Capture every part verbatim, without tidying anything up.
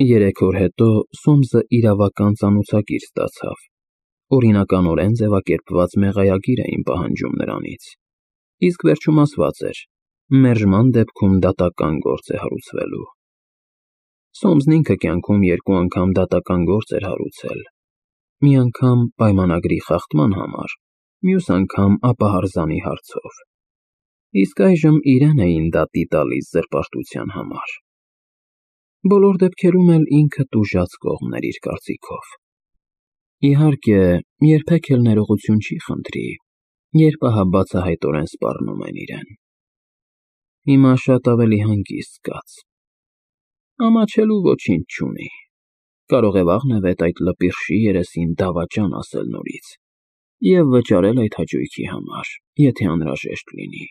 Երեք օր հետո Սոմսը իրավական ծանոթագիր ստացավ, օրինականորեն ձևակերպված մեղայագիր էին պահանջում նրանից, իսկ վերջում ասված էր. մերժման դեպքում դատական գործ է հարուցվելու։ Սոմսն ինքը կյանքում երկու անգամ դատական գործ էր հարուցել, մի անգամ պայմանագրի խախտման համար, մյուս անգամ ապահարզանի հարցով, իսկ այժմ իրեն էին դատի տալիս զրպարտության համար։ Բոլոր դեպքերում էլ ինքը տուժած կողմն էր իր կարծիքով։ Իհարկե, երբեք էլ ներողություն չի խնդրի, երբ ահա բացահայտորեն սպառնում են իրեն։ Հիմա շատ ավելի հանգիստ զգաց։ Ամաչելու ոչինչ չունի, կարող է վաղնևեթ այդ լպիրշի երեսին դավաճան ասել նորից և վճարել այդ հաճույքի համար, եթե անհրաժեշտ լինի։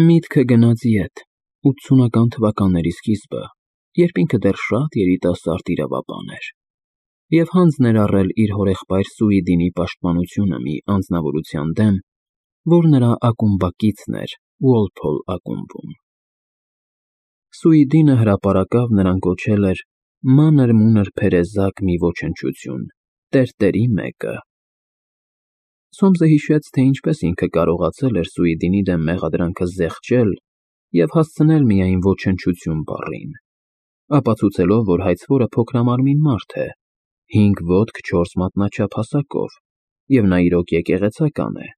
Միտքը գնաց ետ, ութսունական թվականների սկիզբը, երբ ինքը դեռ շատ երիտասարդ իրավաբան էր, և հանձն էր առել իր հորեղբայր Սուիդինի պաշտպանությունը մի անձնավորության դեմ, որ նրա ակումբակիցն էր Ուոլփոլ ակումբում։ Սուիդինը հրապարակավ նրան կոչել էր մանր-մունր փերեզակ մի ոչնչություն, տերտերի մեկը։ Սոմսը հիշեց, թե ինչպես ինքը կարողացել էր Սուիդինի դեմ մեղադրանքը զեղչել և հասցնել միայն ոչնչություն բառին, ապացուցելով, որ հայցվորը փոքրամարմին մարդ է, հինգ ոտք չորս մատնաչափ հասակով, և նա իրոք եկեղեցական է,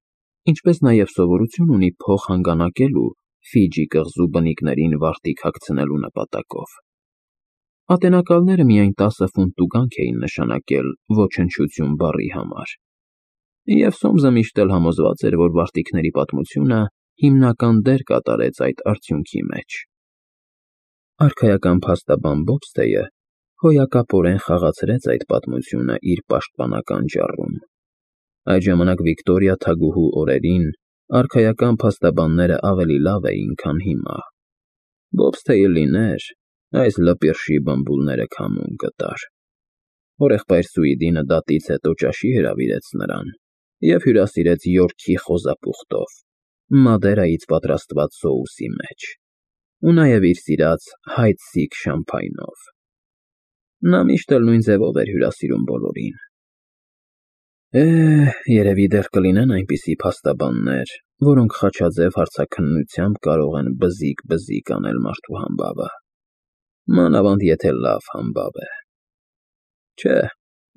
ինչպես նաև սովորություն ունի փող հանգանակելու Ֆիջի կղզու բնիկներին վարտիք հագցնելու նպատակով։ Ատենակալները միայն տասը ֆունտ տուգանք էին նշանակել ոչնչություն բառի համար, և Սոմսը միշտ էլ համոզված էր, որ վարտիքների պատմությունը հիմնական դեր կատարեց այդ արդյունքի մեջ։ Արքայական փաստաբան Բոբստեյը հոյակապորեն խաղացրեց այդ պատմությունը իր պաշտպանական ճառում։ Այդ ժամանակ Վիկտորիա թագուհու օրերին արքայական փաստաբանները ավելի լավ էին, քան հիմա։ Բոբստեյը լիներ, այս լպիրշի բմբուլները քամուն կտար։ Հորեղբայր Սուիդինը դատից հետո ճաշի հրավիրեց նրան և հյուրասիրեց Յորքի խոզապուխտով, Մադերայից պատրաստված սոուսի մեջ ու նաև իր սիրած Հայձսիկ շամփայնով։ Նա միշտ էլ նույն ձևով էր հյուրասիրում բոլորին։ Է, երևի դեռ կլինեն այնպիսի փաստաբաններ, որոնք խաչաձև հարցաքննությամբ կարող են բզիկ-բզիկ անել մարդու համբավը, մանավանդ եթե լավ համբավ է։ Չէ,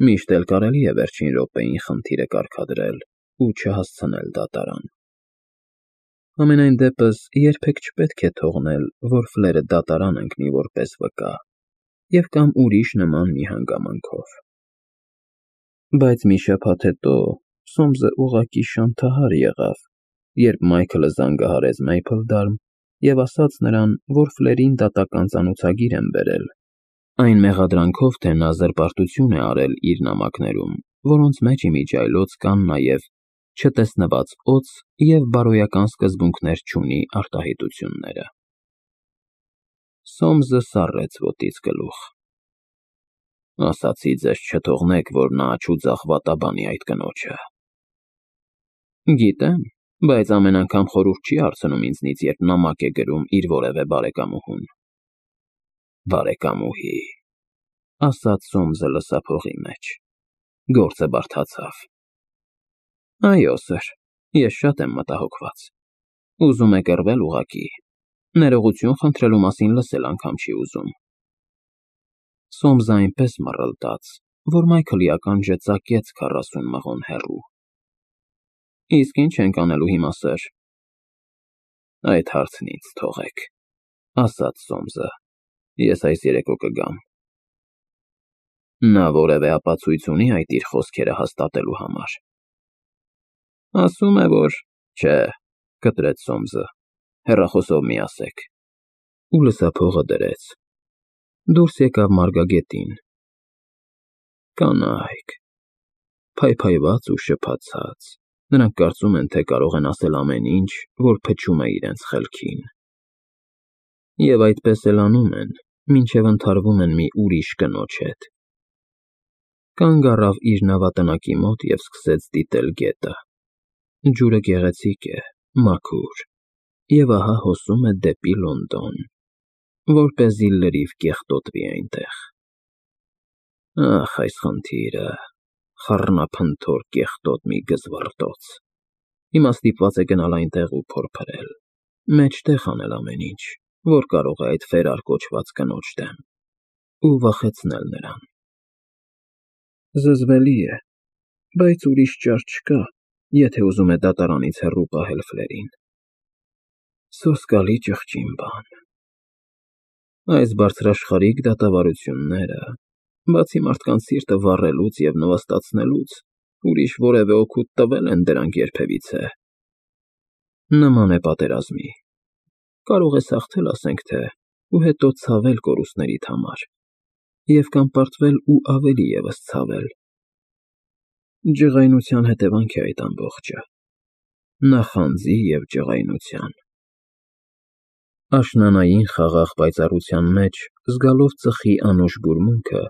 միշտ էլ կարելի է վերջին րոպեին խնդիրը կարգադրել ու չհասցնել դատարան։ Համենայն դեպս, երբեք չպետք է թողնել, որ ֆլերը դատարան ընկնի որպես վկա և կամ ուրիշ նման մի հանգամանքով։ Բայց մի շաբաթ հետո Սոմսը ուղղակի շանթահար եղավ, երբ Մայքլը զանգահարեց Մեյփլդարմ և ասաց նրան, որ ֆլերին դատական ծանոթագիր են բերել, այն մեղադրանքով, թե նա զրպարտություն է արել իր նամակներում, որոնց մեջ իմիջիայլոց կան նաև չտեսնված օձ և բարոյական սկզբունքներ չունի արտահայտությունները։ Սոմսը սառեց ոտից գլուխ։ Ասացի ձեզ չթողնեք, որ նա աջուձախ վատաբանի այդ կնոջը։ Գիտեմ, բայց ամեն անգամ խորհուրդ չի հարցնում ինձնից, երբ նամակ է գրում իր որևէ բարեկամուհուն։ Բարեկամուհի, ասաց Սոմսը լսափողի մեջ, գործը բարդացավ։ Այո, սըր, ես շատ եմ մտահոգված։ Ուզում է կռվել ուղղակի, ներողություն խնդրելու մասին լսել անգամ չի ուզում։ Սոմսը այնպես մռլտաց, որ Մայքլի ականջը ծակեց քառասուն մղոն հեռու։ Իսկ ինչ ենք անելու հիմա, սըր։ Այդ հարցն ինձ թողեք, ասաց Սոմսը, ես այս երեկո կգամ։ Նա որևէ ապացույց ունի այդ իր խոսքերը հաստատելու համար։ Ասում է, որ… Չէ, կտրեց Սոմսը, հեռախոսով մի ասեք։ Ու լսափողը դրեց։ Դուրս եկավ մարգագետին։ Կանայք… Փայփայված ու շփացած, նրանք կարծում են, թե կարող են ասել ամեն ինչ, որ փչում է իրենց խելքին։ Եվ այդպես էլ անում են, մինչև ընդհարվում են մի ուրիշ կնոջ հետ։ Կանգ առավ իր նավատնակի մոտ և սկսեց դիտել գետը։ Ջուրը գեղեցիկ է, մաքուր, և ահա հոսում է դեպի Լոնդոն։ որպեսզի լրիվ կեղտոտվի այնտեղ։ Ախ, այս խնդիրը, խառնափնթոր կեղտոտ մի գզվռտոց, հիմա ստիպված է գնալ այնտեղ ու փորփրել, մեջտեղ անել ամեն ինչ, որ կարող է այդ վերար կոչված կնոջ դեմ, ու վախեցնել նրան։ Զզվելի է, բայց ուրիշ ճար չկա, եթե ուզում է դատարանից հեռու պահել Ֆլերին։ Սոսկալի ճղճին բան։ Այս բարձրաշխարհիկ դատավարությունները, բացի մարդկանց սիրտը վառելուց և նվաստացնելուց, ուրիշ որևէ օգուտ տվել են դրանք երբևիցե։ Նման է պատերազմի։ Կարող ես հաղթել, ասենք թե, ու հետո ցավել կորուստներիդ համար, և կամ պարտվել ու ավելի ևս ցավել։ Ջղայնության հետևանք է այդ ամբողջը, նախանձի և ջղայնության։ Աշնանային խաղաղ պայծառության մեջ, զգալով ծխի անուշ բուրմունքը,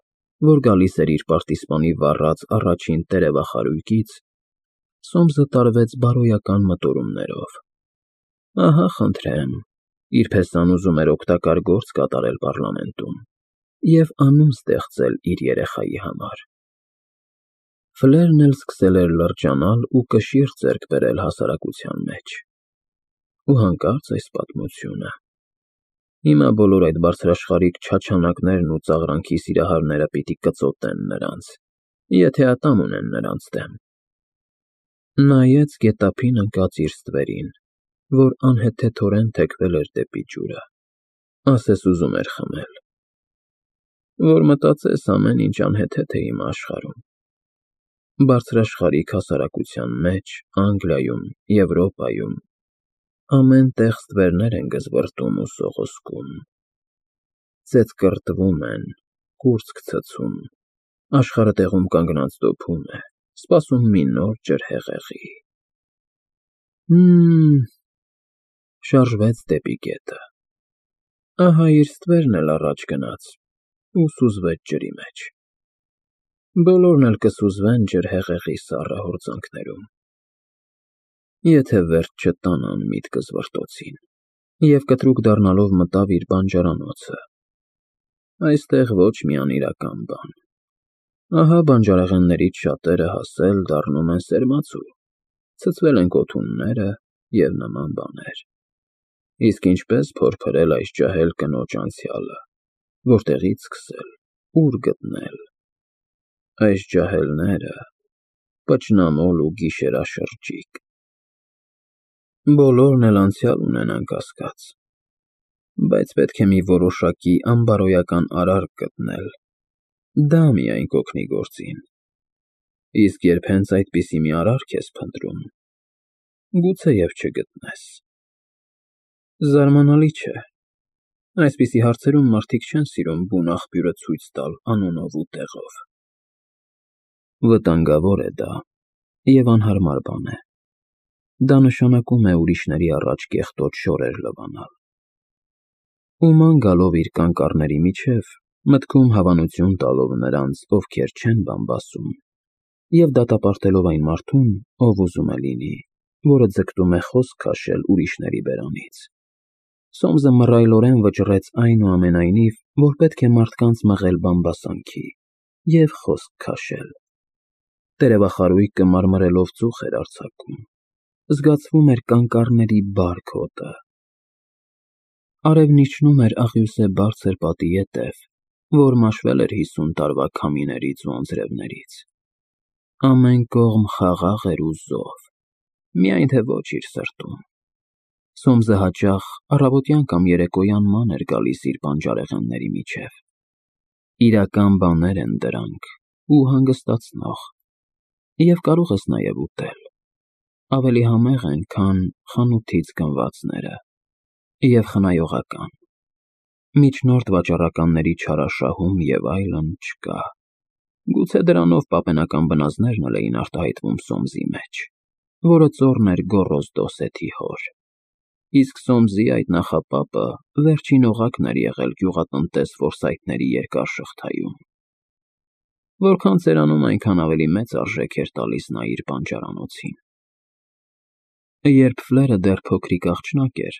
որ գալիս էր իր պարտիզպանի վառած առաջին տերևախարույկից, Սոմսը տարվեց բարոյական մտորումներով. ահա, խնդրեմ, իր պես ուզում էր օգտակար գործ կատարել պառլամենտում և անուն ստեղծել իր երեխայի համար։ Ֆլերն էլ սկսել էր լրջանալ ու կշիռ ձեռք բերել հասարակության մեջ։ Ու հանկարծ այս պատմությունը… Հիմա բոլոր այդ բարձրաշխարհիկ չաչանակներն ու ծաղրանքի սիրահարները պիտի կծոտեն նրանց, եթե ատամ ունեն նրանց դեմ։ Նայեց գետափին ընկած իր ստվերին, որ անհեթեթորեն թեքվել էր դեպի ջուրը, ասես ուզում էր խմել։ Որ մտածես, ամեն ինչ անհեթեթ է հիմա աշխարհում։ Բարձրաշխարհիկ հասարակության մեջ, Անգլիայում, Եվրոպայում, ամեն տեղ ստվերներ են գզվռտում ու սողոսկում, ծեծկռտվում են, կուրծք ցցում, աշխարհը տեղում կանգնած դոփում է, սպասում մի նոր ջրհեղեղի… Հըմ… Շարժվեց դեպի գետը։ Ահա իր ստվերն էլ առաջ գնաց ու սուզվեց ջրի մեջ։ Բոլորն էլ կսուզվեն ջրհեղեղի սառը հորձանքներում, եթե վերջ չտանան միտքըզվռտոցին, և կտրուկ դառնալով մտավ իր բանջարանոցը։ Այստեղ ոչ մի անիրական բան։ Ահա բանջարեղեններից շատերը հասել դառնում են սերմացու, ցցվել են կոթունները և նման բաներ։ Իսկ ինչպե՞ս փորփրել այս ջահել կնոջ անցյալը, որտեղի՞ց սկսել, ուր գտնել… Այս ջահելները… պճնամոլ ու գիշերաշրջիկ… Բոլորն էլ անցյալ ունեն, անկասկած, բայց պետք է մի որոշակի անբարոյական արարք գտնել, դա միայն կօգնի գործին։ Իսկ երբ հենց այդպիսի մի արարք ես փնտրում, գուցեև չգտնես… Զարմանալի չէ, այսպիսի հարցերում մարդիկ չեն սիրում բուն աղբյուրը ցույց տալ անունով ու տեղով։ Վտանգավոր է դա և անհարմար բան է։ Դա նշանակում է ուրիշների առաջ կեղտոտ շորեր լվանալ։ Ու ման գալով իր կանկարների միջև, մտքում հավանություն տալով նրանց, ովքեր չեն բամբասում, և դատապարտելով այն մարդուն, ով ուզում է լինի, որը ձգտում է խոսք քաշել ուրիշների բերանից, Սոմսը մռայլորեն վճռեց այնուամենայնիվ, որ պետք է մարդկանց մղել բամբասանքի և խոսք քաշել։ Տերևախարույկը մարմրելով ծուխ էր արձակում, զգացվում էր կանկարների բարք հոտը։ Արևն իջնում էր աղյուսե բարձր պատի ետև, որ մաշվել էր հիսուն տարվա քամիներից ու անձրևներից։ Ամեն կողմ խաղաղ էր ու զով, միայն թե ոչ իր սրտում։ Սոմսը հաճախ առավոտյան կամ երեկոյան ման էր գալիս իր բանջարեղենների միջև։ Իրական բաներ են դրանք ու հանգստացնող, և կարող ես նաև ուտել, ավելի համեղ են, քան խանութից գնվածները, և խնայողական։ Միջնորդ վաճառականների չարաշահում և այլն չկա։ Գուցե դրանով պապենական բնազդներն էլ էին արտահայտվում Սոմսի մեջ, որը ծոռն էր գոռոզ Դոսեթի հոր։ Իսկ Սոմսի այդ նախապապը վերջին օղակն էր եղել գյուղատնտես որսայթների երկար շղթայում։ Որքան ծերանում, այնքան ավելի մեծ արժեք էր տալիս նա իր բանջարանոցին։ Երբ Ֆլերը դեռ փոքրիկ աղջնակ էր,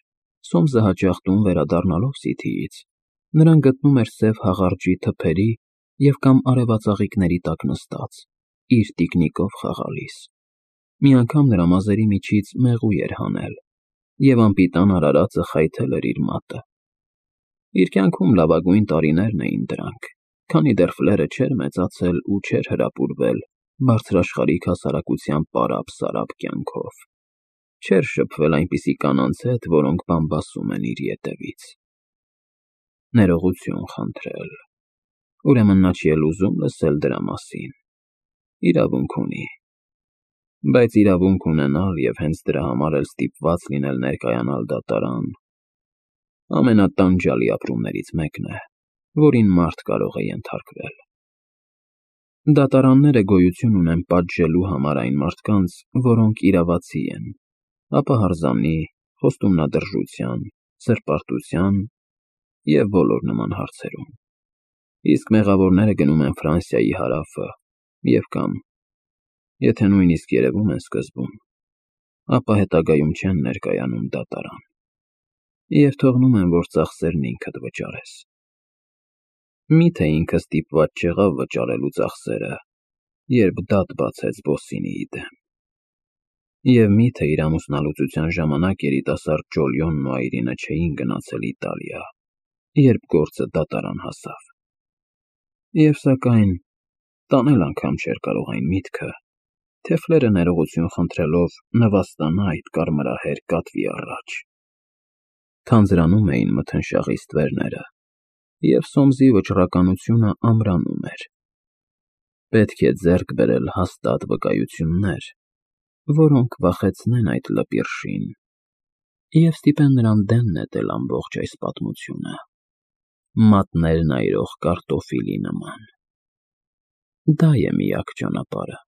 Սոմսը հաճախ տուն վերադառնալով Սիթիից, Նրան գտնում էր սև հաղարջի թփերի և կամ արևածաղիկների տակ նստած, իր տիկնիկով խաղալիս։ Մի անգամ նրա մազերի միջից մեղու էր հանել, և անպիտան արարածը խայթել էր իր մատը։ Իր կյանքում լավագույն տարիներն էին դրանք, քանի դեռ Ֆլերը չէր մեծացել ու չէր հրապուրվել բարձրաշխարհիկ հասարակության պարապ֊սարապ կյանքով, չէր շփվել այնպիսի կանանց հետ, որոնք բամբասում են իր ետևից։ Ներողություն խնդրել։ Ուրեմն նա չի էլ ուզում լսել դրա մասին։ Իրավունք ունի։ Բայց իրավունք ունենալ և հենց դրա համար էլ ստիպված լինել ներկայանալ դատարան ամենատանջալի ապրումներից մեկն է, որին մարդ կարող է ենթարկվել։ Դատարանները գոյություն ունեն պատժելու համար այն մարդկանց, որոնք իրավացի են, ապահարզանի, խոստումնադրժության, սրբարտության և բոլոր նման հարցերում, իսկ մեղավորները գնում են Ֆրանսիայի հարավը և կամ, եթե նույնիսկ երևում են սկզբում, ապա հետագայում չեն ներկայանում դատարան և թողնում են, որ ծախսերն ինքդ վճարես։ Մի՞թե ինքը ստիպված չեղավ վճարելու ծախսերը, երբ դատ բացեց Բոսինիի դեմ։ Եվ մի՞թե իր ամուսնալուծության ժամանակ երիտասարդ Ջոլիոնն ու Այրինը չէին գնացել Իտալիա, երբ գործը դատարան հասավ։ Եվ սակայն տանել անգամ չէր կարող այն միտքը, թե Ֆլերը ներողություն խնդրելով նվաստանա այդ կարմրահեր կատվի առաջ։ Թանձրանում էին մթնշաղի ստվերները, և Սոմսի վճռականությունը ամրանում էր։ Պետք է ձեռք բերել հաստատ վկայություններ, որոնք վախեցնեն այդ լպիրշին և ստիպեն նրան դեն նետել ամբողջ այս պատմությունը, մատներն այրող կարտոֆիլի նման։ Դա է միակ ճանապարհը։